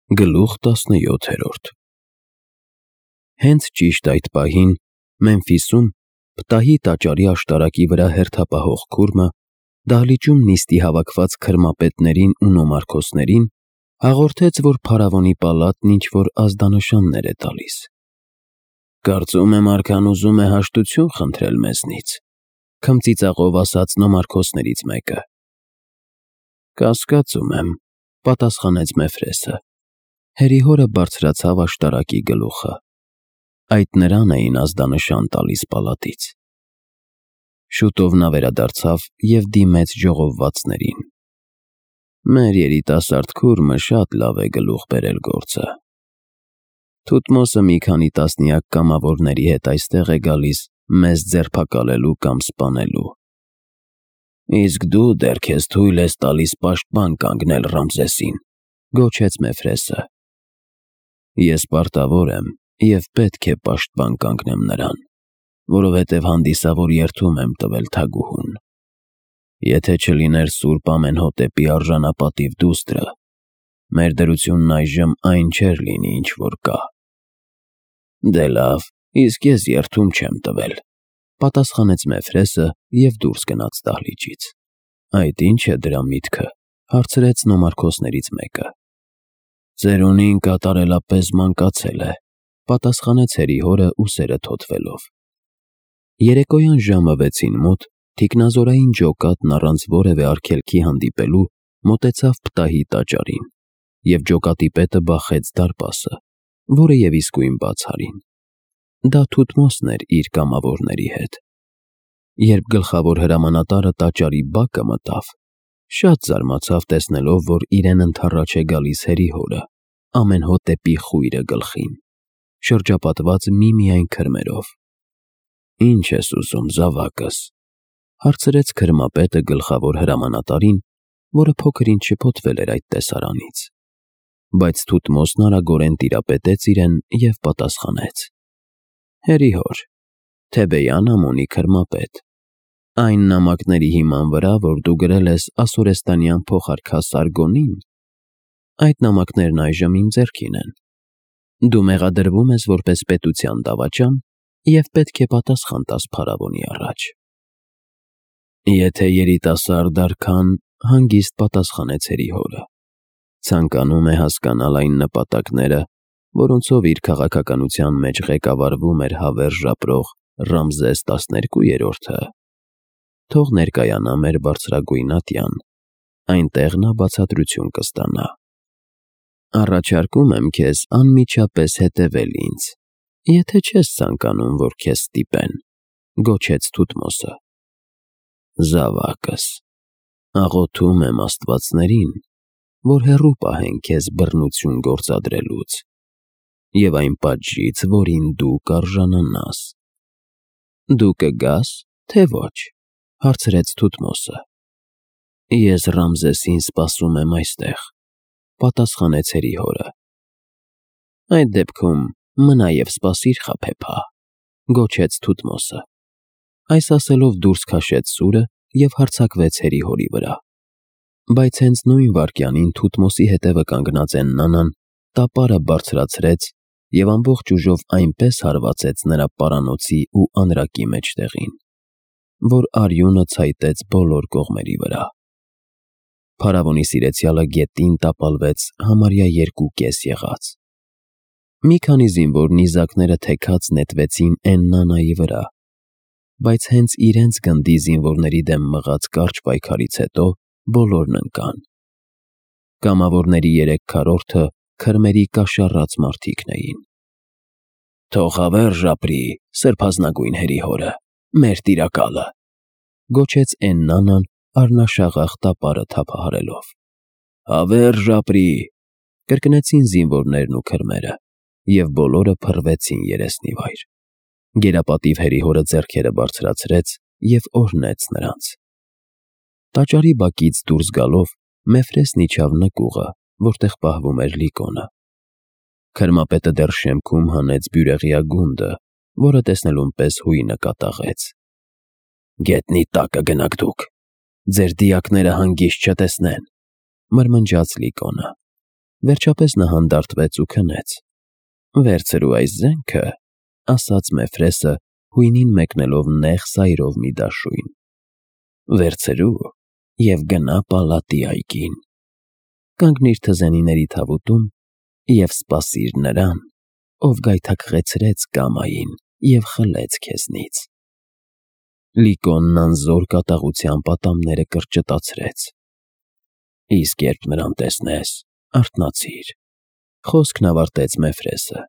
Գլուխ 17 Հենց ճիշտ այդ պահին Մեմֆիսում պտահի տաճարի աշտարակի վրա հերթապահող քուրմը դահլիճում նիստի հավաքված քրմապետներին ու նոմարքոսներին հաղորդեց, որ փարավոնի պալատն ինչ-որ ազդանշաններ է տալիս։ «Կարծում եմ արքան ուզում է հաշտություն խնդրել մեզնից», քմծիծաղով ասաց նոմարքոսներից մեկը։ «Կասկածում եմ», պատասխանեց Մեֆրեսը։ Հերիհորը բարձրացավ աշտարակի գլուխը։ Այդ նրան էին ազդանշան տալիս պալատից։ Շուտով նա վերադարձավ և դիմեց ժողովվածներին. «Մեր երիտասարդ քուրմը շատ լավ է գլուխ բերել գործը։ Թութմոսը մի քանի տասնյակ կամավորների հետ այստեղ է գալիս մեզ ձերբակալելու կամ սպանելու։ Իսկ դու դեռ քեզ թույլ ես տալիս պաշտպան կանգնել Ռամզեսին», գոչեց Մեֆրեսը։ «Ես պարտավոր եմ և պետք է պաշտպան կանգնեմ նրան, որովհետև հանդիսավոր երդում եմ տվել թագուհուն։ Եթե չլիներ Սուրբ Ամենհոտեպի արժանապատիվ դուստրը, մեր դրությունն այժմ այն չէր լինի, ինչ որ կա»։ «Դե լավ, իսկ ես երդում չեմ տվել», պատասխանեց Մեֆրեսը և դուրս գնաց դահլիճից։ «Այդ ի՞նչ է դրա միտքը», հարցրեց նոմարքոսներից մեկը։ «Ծերունին կատարելապես մանկացել է», պատասխանեց հերիհորը ուսերը թոթվելով։ Երեկոյան ժամը 6-ին մոտ թիկնազորային ջոկատն առանց որևէ արգելքի հանդիպելու մոտեցավ պտահի տաճարին, և ջոկատի պետը բախեց դարպասը, որը և իսկույն բաց արին։ Դա Թութմոսն էր իր կամավորների հետ։ Երբ գլխավոր հրամանատարը տաճարի բակը մտավ, շատ զարմացավ տեսնելով, որ իրեն ընդառաջ է գալիս հերիհորը, Ամենհոտեպի խույրը գլխին, շրջապատված միմիայն քրմերով։ «Ինչ ես ուզում, զավակս», հարցրեց քրմապետը գլխավոր հրամանատարին, որը փոքր-ինչ շփոթվել էր այդ տեսարանից։ Բայց Թութմոսն արագորեն տիրապետեց իրեն և պատասխանեց. «Հերիհոր, Թեբեյան ամոնի քրմապետ, այն նամակների հիման վրա, որ դու գրել ես ասորեստանյան փոխարքա Սարգոնին, այդ նամակներն այժմ իմ ձեռքին են։ Դու մեղադրվում ես որպես պետության դավաճան և պետք է պատասխան տաս փարավոնի առաջ»։ «Եթե երիտասարդ արքան», հանգիստ պատասխանեց հերիհորը, «ցանկանում է հասկանալ այն նպատակները, որոնցով իր քաղաքականության մեջ ղեկավարվում էր հավերժ ապրող Ռամզես 12-րդը, թող ներկայանա մեր բարձրագույն ատյան, այնտեղ նա բացատրություն կստանա։ Առաջարկում եմ քեզ անմիջապես հետևել ինձ, եթե չես ցանկանում, որ քեզ ստիպեն», գոչեց Թութմոսը։ «Զավակս, աղոթում եմ աստվածներին, որ հեռու պահեն քեզ բռնություն գործադրելուց և այն պատժից, որին դու կարժանանաս»։ «Դու կգա՞ս, թե ոչ», հարցրեց Թութմոսը։ «Ես Ռամզեսին սպասում եմ այստեղ», պատասխանեց հերիհորը։ «Այդ դեպքում մնա և սպասիր, խաբեբա», գոչեց Թութմոսը։ Այս ասելով դուրս քաշեց սուրը և հարձակվեց հերիհորի վրա։ Բայց հենց նույն վայրկյանին Թութմոսի հետևը կանգնած Էննանան տապարը բարձրացրեց և ամբողջ ուժով այնպես հարվածեց նրա պարանոցի ու անրակի մեջտեղին, որ արյունը ցայտեց բոլոր կողմերի վրա։ Փարավոնի սիրեցյալը գետին տապալվեց համարյա 2 եղած։ Մի քանի զինվոր նիզակները թեքած նետվեցին Էննանայի վրա, բայց հենց իրենց գնդի զինվորների դեմ մղած կարճ պայքարից հետո բոլորն ընկան։ Կամավորների 3/4-ը քրմերի կաշառած մարդիկն էին։ «Թող հավերժ ապրի սրբազնագույն հերիհորը, մեր տիրակալը», գոչեց Էննանան առնաշաղախ տապարը թափահարելով։ «Հավերժ ապրի», կրկնեցին զինվորներն ու քրմերը, և բոլորը փռվեցին երեսնիվայր։ Գերապատիվ հերիհորը ձեռքերը բարձրացրեց և օրհնեց նրանց։ Տաճարի բակից դուրս գալով Մեֆրեսն իջավ նկուղը, որտեղ պահվում էր Լիկոնը։ Քրմապետը դեռ շեմքում հանեց բյուրեղյա գունդը, որը տեսնելուն պես հույնը կատաղեց։ «Գետնի տակը գնաք դուք, ձեր դիակները հանգիստ չտեսնեն», մրմնջաց Լիկոնը։ Վերջապես նա հանդարտվեց ու քնեց։ «Վերցրու այս զենքը», ասաց Մեֆրեսը, հույնին մեկնելով նեղ սայրով մի դաշույն։ «Վերցրու և գնա պալատի այգին։ Կանգնիր թզենիների թավուտում և սպասիր նրան, ով գայթակղեցրեց կամային և խլեց քեզնից»։ Լիկոնն անզոր կատաղությամբ ատամները կրճտացրեց։ «Իսկ երբ նրան տեսնես, արթնացիր», խոսքն ավարտեց Մեֆրեսը։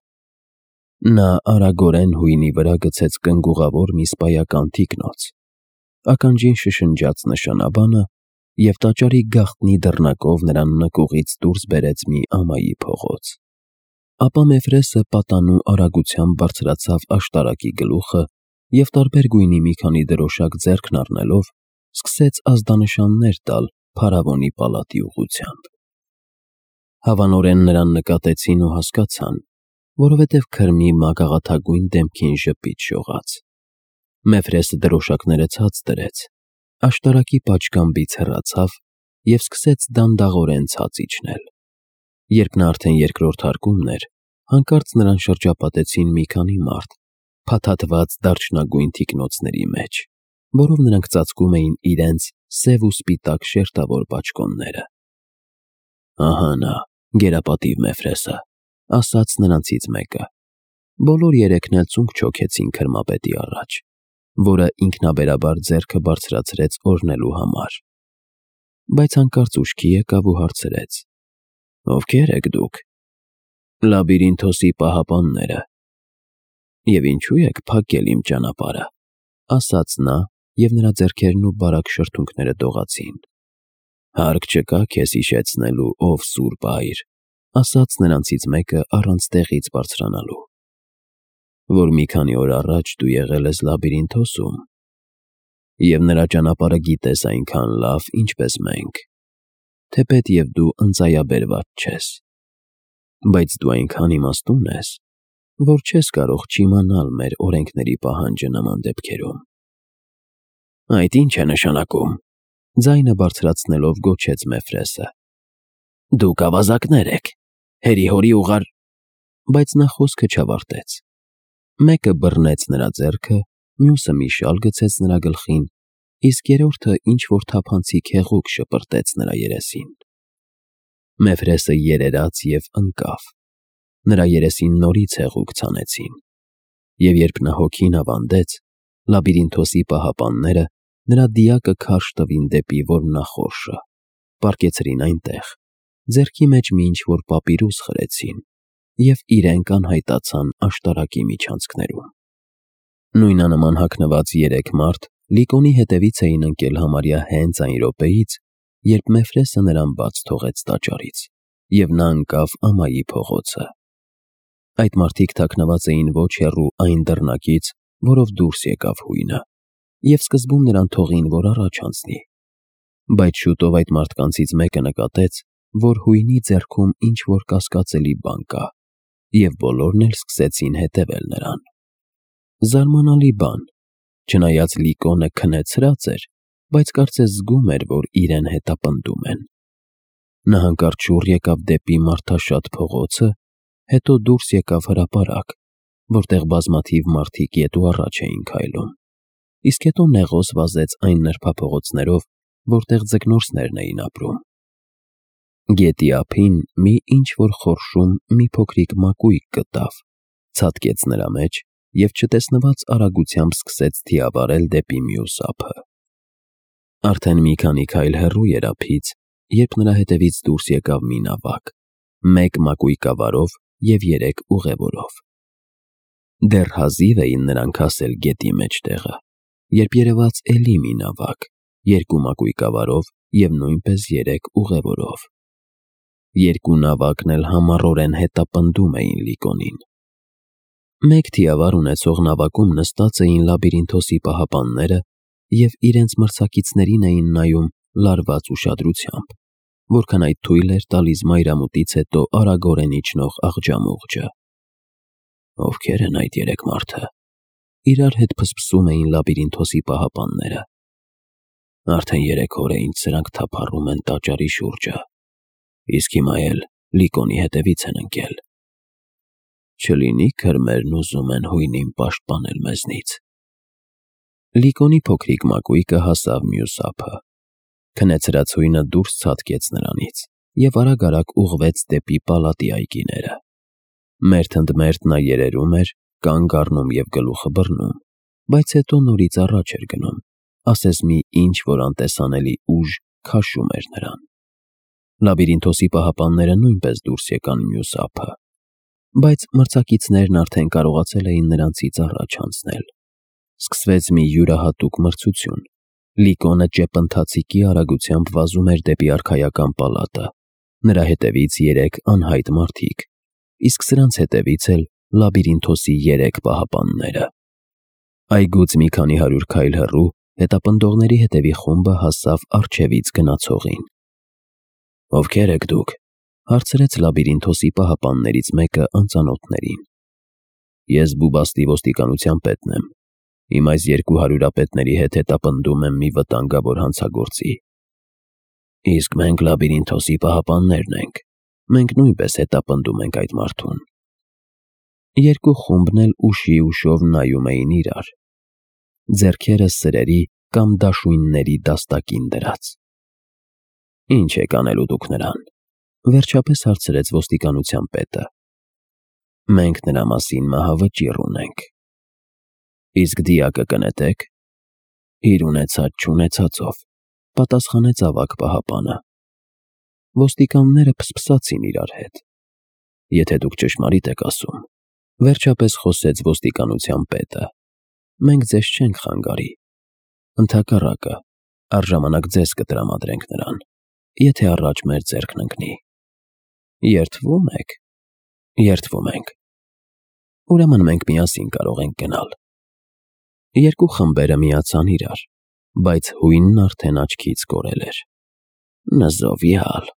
Նա արագորեն հույնի վրա գցեց կնգուղավոր մի սպայական թիկնոց, ականջին շշնջաց նշանաբանը և տաճարի գաղտնի դռնակով նրան նկուղից դուրս բերեց մի ամայի փողոց։ Ապա Մեֆրեսը պատանու արագությամբ բարձրացավ աշտարակի գլուխը և տարբեր գույնի մի քանի դրոշակ ձեռքն առնելով սկսեց ազդանշաններ տալ փարավոնի պալատի ուղղությամբ։ Հավանորեն նրան նկատեցին ու հասկացան, որովհետև քրմի մագաղաթագույն դեմքին ժպիտ շողաց։ Մեֆրեսը դրոշակները ցած դրեց, աշտարակի պատշգամբից հեռացավ և սկսեց դանդաղորեն ցած իջնել։ Երբ նա արդեն երկրորդ հարկումն էր, հանկարծ նրան շրջապատեցին մի քանի մարդ փաթաթված դարչնագույն թիկնոցների մեջ, որով նրանք ծածկում էին իրենց սև ու սպիտակ շերտավոր բաճկոնները։ «Ահա նա, գերապատիվ Մեֆրեսը», ասաց նրանցից մեկը։ Բոլոր երեքն էլ ծունկ չոքեցին քրմապետի առաջ, որը ինքնաբերաբար ձեռքը բարձրացրեց օրհնելու համար։ Բայց հանկարծ ուշքի եկավ ու հարցրեց. «Ովքե՞ր եք դուք»։ «Լաբիրինթոսի պահապանները»։ «Եվ ինչու եք փակել իմ ճանապարհը», ասաց նա, և նրա ձեռքերն ու բարակ շրթունքները դողացին։ «Հարկ չկա քեզ հիշեցնելու, ով սուրբ այր», ասաց նրանցից մեկը առանց տեղից բարձրանալու։ «Որ մի քանի օր առաջ դու եղել ես Լաբիրինթոսում և նրա ճանապարհը գիտես այնքան լավ, ինչպես մենք, թեպետ և դու ընծայաբերված չես, բայց դու այնքան իմաստուն ես, որ չես կարող չիմանալ մեր օրենքների պահանջը նման դեպքերում»։ «Այդ ի՞նչ է նշանակում», ձայնը բարձրացնելով գոչեց Մեֆրեսը։ «Դուք ավազակներ եք, հերի-հորի ուղար…» Բայց նա խոսքը չավարտեց։ Մեկը բռնեց նրա ձեռքը, մյուսը մի շալ գցեց նրա գլխին, իսկ երրորդը ինչ-որ թափանցիկ հեղուկ շպրտեց նրա երեսին։ Մեֆրեսը երերաց և ընկավ։ Նրա երեսին նորից հեղուկ ցանեցին։ Եվ երբ նա հոգին ավանդեց, Լաբիրինթոսի պահապանները նրա դիակը քարշ տվին դեպի որմնախորշը, պառկեցրին այնտեղ, ձեռքի մեջ մի ինչ-որ պապիրուս խրեցին և իրենք անհայտացան աշտարակի միջանցքներում։ Նույնանման հագնված երեք մարդ Լիկոնի հետևից էին ընկել համարյա հենց այն րոպեից, երբ Մեֆրեսը նրան բաց թողեց տաճարից, և նա ընկավ ամայի փողոցը։ Այդ մարդիկ թաքնված էին ոչ հեռու այն դռնակից, որով դուրս եկավ հույնը, և սկզբում նրան թողին, որ առաջ անցնի։ Բայց շուտով այդ մարդկանցից մեկը նկատեց, որ հույնի ձեռքում ինչ-որ կասկածելի բան կա, և բոլորն էլ սկսեցին հետևել նրան։ Զարմանալի բան, չնայած Լիկոնը քնեցրած էր, բայց կարծես զգում էր, որ իրեն հետապնդում են։ Նա հանկարծ շուռ եկավ դեպի մարդաշատ փողոցը, հետո դուրս եկավ հրապարակ, որտեղ բազմաթիվ մարդիկ ետ ու առաջ էին քայլում, իսկ հետո նեղոս վազեց այն նրբափողոցներով, որտեղ ձկնորսներն էին ապրում։ Գետի ափին մի ինչ-որ խորշում մի փոքրիկ մակույկ գտավ, ցատկեց նրա մեջ և չտեսնված արագությամբ սկսեց թիավարել դեպի մյուս ափը։ Արդեն մի քանի քայլ հեռու էր ափից, երբ նրա հետևից դուրս եկավ մի նավակ, մեկ մակույկավարով և երեք ուղևորով։ Դեռ հազիվ էին նրանք հասել գետի մեջտեղը, երբ երևաց էլի մի նավակ, երկու մակույկավարով և նույնպես երեք ուղևորով։ Երկու նավակն էլ համառորեն հետապնդում էին Լիկոնին։ Մեկ թիավար ունեցող նավակում նստած էին Լաբիրինթոսի պահապանները և իրենց մրցակիցներին էին նայում լարված ուշադրությամբ, որքան այդ թույլ էր տալիս մայրամուտից հետո արագորեն իջնող աղջամուղջը։ «Ովքեր են այդ երեք մարդը», իրար հետ փսփսում էին Լաբիրինթոսի պահապանները։ «Արդեն 3 օր է, ինչ սրանք թափառում են տաճարի շուրջը, իսկ հիմա էլ Լիկոնի հետևից են ընկել։ Չլինի քրմերն ուզում են հույնին պաշտպանել մեզնից։ Լիկոնի փոքրիկ մակույկը հասավ մյուս ափը։ Քնեցրած հույնը դուրս ցատկեց նրանից և արագ-արագ ուղղվեց դեպի պալատի այգիները։ Մերթ ընդ մերթ նա երերում էր, կանգ առնում և գլուխը բռնում, բայց հետո նորից առաջ էր գնում, ասես մի ինչ-որ անտեսանելի ուժ քաշում էր նրան։ Լաբիրինթոսի պահապանները նույնպես դուրս եկան մյուս ափը, բայց մրցակիցներն արդեն կարողացել էին նրանցից առաջ անցնել։ Սկսվեց մի յուրահատուկ մրցություն։ Լիկոնը ճեպընթացիկի արագությամբ վազում էր դեպի արքայական պալատը, նրա հետևից 3 անհայտ մարդիկ, իսկ սրանց հետևից էլ Լաբիրինթոսի 3 պահապանները։ Այգուց մի քանի 100 քայլ հեռու հետապնդողների հետևի խումբը հասավ առջևից գնացողին։ «Ովքեր եք դուք», հարցրեց Լաբիրինթոսի պահապաններից մեկը անծանոթներին։ «Ես Բուբաստի ոստիկանության պետն եմ։ Իմ այս 2 հարյուրապետների հետ հետապնդում եմ մի վտանգավոր հանցագործի»։ «Իսկ մենք Լաբիրինթոսի պահապաններն ենք։ Մենք նույնպես հետապնդում ենք այդ մարդուն»։ Երկու խումբն էլ ուշի ուշով նայում էին իրար, ձեռքերը սրերի կամ դաշույնների դաստակին դրած։ «Ինչ եք անելու դուք նրան», վերջապես հարցրեց ոստիկանության պետը։ «Մենք նրա մասին մահավճիռ ունենք»։ «Իսկ դիակը կնետե՞ք»։ «Իր ունեցած-չունեցածով», պատասխանեց ավագ պահապանը։ Ոստիկանները փսփսացին իրար հետ։ «Եթե դուք ճշմարիտ եք ասում», վերջապես խոսեց ոստիկանության պետը, «մենք ձեզ չենք խանգարի։ Ընդհակառակը, առժամանակ ձեզ կտրամադրենք նրան, եթե առաջ մեր ձեռքն ընկնի»։ «Երդվում եք»։ «Երդվում ենք»։ «Ուրեմն մենք միասին կարող ենք գնալ»։ Երկու խմբերը միացան իրար, բայց հույնն արդեն աչքից կորել էր։ «Նզովյալ»,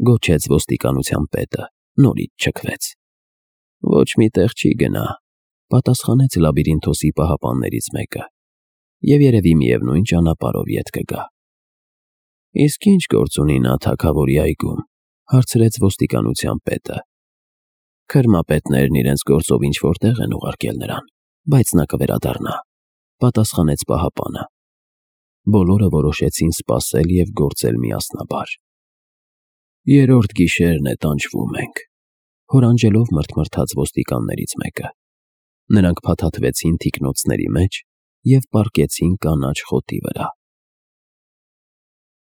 գոչեց ոստիկանության պետը, նորից չքվեց։ «Ոչ մի տեղ չի գնա», պատասխանեց Լաբիրինթոսի պահապաններից մեկը, «և երևի միևնույն ճանապարհով ետ կգա»։ «Իսկ ինչ գործ ունի նա թագավորի այգում», հարցրեց ոստիկանության պետը։ «Քրմապետներն իրենց գործով ինչ-որ տեղ են ուղարկել նրան, բայց նա կվերադառնա», պատասխանեց պահապանը։ Բոլորը որոշեցին սպասել և գործել միասնաբար։ «Երրորդ գիշերն է տանջվում ենք», հորանջելով մռթմռթաց ոստիկաններից մեկը։ Նրանք փաթաթվեցին թիկնոցների մեջ և պառկեցին կանաչ խոտի վրա։